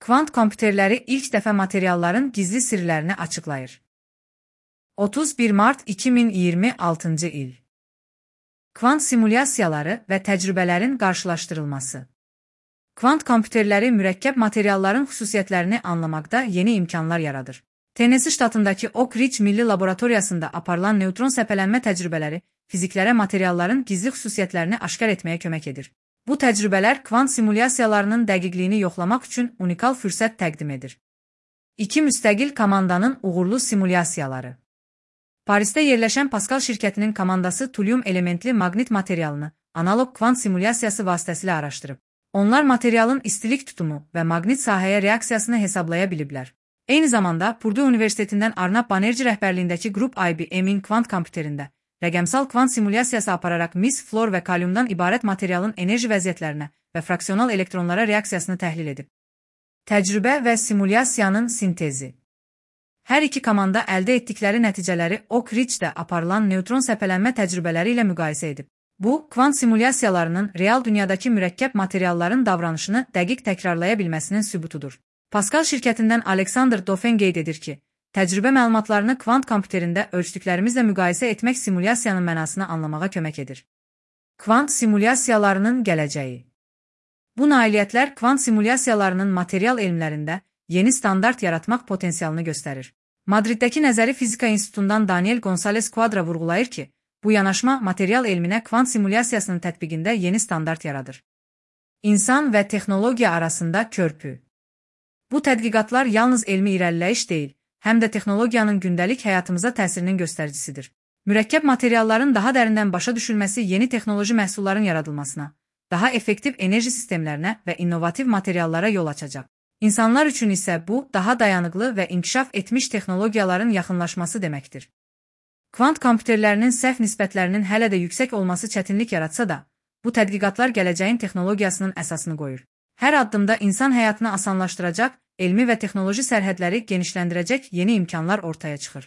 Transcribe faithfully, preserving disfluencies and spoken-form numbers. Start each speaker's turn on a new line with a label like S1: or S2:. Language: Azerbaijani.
S1: Kvant kompüterləri ilk dəfə materialların gizli sirlərini açıqlayır. otuz bir mart iki min iyirmi altıncı il. Kvant simulyasiyaları və təcrübələrin qarşılaşdırılması. Kvant kompüterləri mürəkkəb materialların xüsusiyyətlərini anlamaqda yeni imkanlar yaradır. Tennessee ştatındakı Oak Ridge Milli Laboratoriyasında aparılan neytron səpələnmə təcrübələri fiziklərə materialların gizli xüsusiyyətlərini aşkar etməyə kömək edir. Bu təcrübələr kvant simulyasiyalarının dəqiqliyini yoxlamaq üçün unikal fürsət təqdim edir. İki müstəqil komandanın uğurlu simulyasiyaları. Parisdə yerləşən Pascal şirkətinin komandası tulyum elementli maqnit materialını analog kvant simulyasiyası vasitəsilə araşdırıb. Onlar materialın istilik tutumu və maqnit sahəyə reaksiyasını hesablaya biliblər. Eyni zamanda Purdue Universitetindən Arnab Banerjee rəhbərliyindəki qrup I B M-in kvant kompüterində rəqəmsal kvant simulyasiyası apararaq mis, flor və kalyumdan ibarət materialın enerji vəziyyətlərinə və fraksional elektronlara reaksiyasını təhlil edib. Təcrübə və simulyasiyanın sintezi. Hər iki komanda əldə etdikləri nəticələri Oak Ridge-də aparılan neytron səpələnmə təcrübələri ilə müqayisə edib. Bu, kvant simulyasiyalarının real dünyadakı mürəkkəb materialların davranışını dəqiq təkrarlaya bilməsinin sübutudur. Pascal şirkətindən Alexander Dauphin qeyd edir ki, təcrübə məlumatlarını kvant kompüterində ölçdüklərimizlə müqayisə etmək simulyasiyanın mənasını anlamağa kömək edir. Kvant simulyasiyalarının gələcəyi. Bu nailiyyətlər kvant simulyasiyalarının material elmlərində yeni standart yaratmaq potensialını göstərir. Madriddəki Nəzəri Fizika İnstitutundan Daniel González Quadra vurğulayır ki, bu yanaşma material elminə kvant simulyasiyasının tətbiqində yeni standart yaradır. İnsan və texnologiya arasında körpü. Bu tədqiqatlar yalnız elmi irəliləyiş deyil, həm də texnologiyanın gündəlik həyatımıza təsirinin göstəricisidir. Mürəkkəb materialların daha dərindən başa düşülməsi yeni texnoloji məhsulların yaradılmasına, daha effektiv enerji sistemlərinə və innovativ materiallara yol açacaq. İnsanlar üçün isə bu, daha dayanıqlı və inkişaf etmiş texnologiyaların yaxınlaşması deməkdir. Kvant kompüterlərinin səhv nisbətlərinin hələ də yüksək olması çətinlik yaratsa da, bu tədqiqatlar gələcəyin texnologiyasının əsasını qoyur. Hər addımda insan həyatını asanlaşdıracaq, elmi və texnoloji sərhədləri genişləndirəcək yeni imkanlar ortaya çıxır.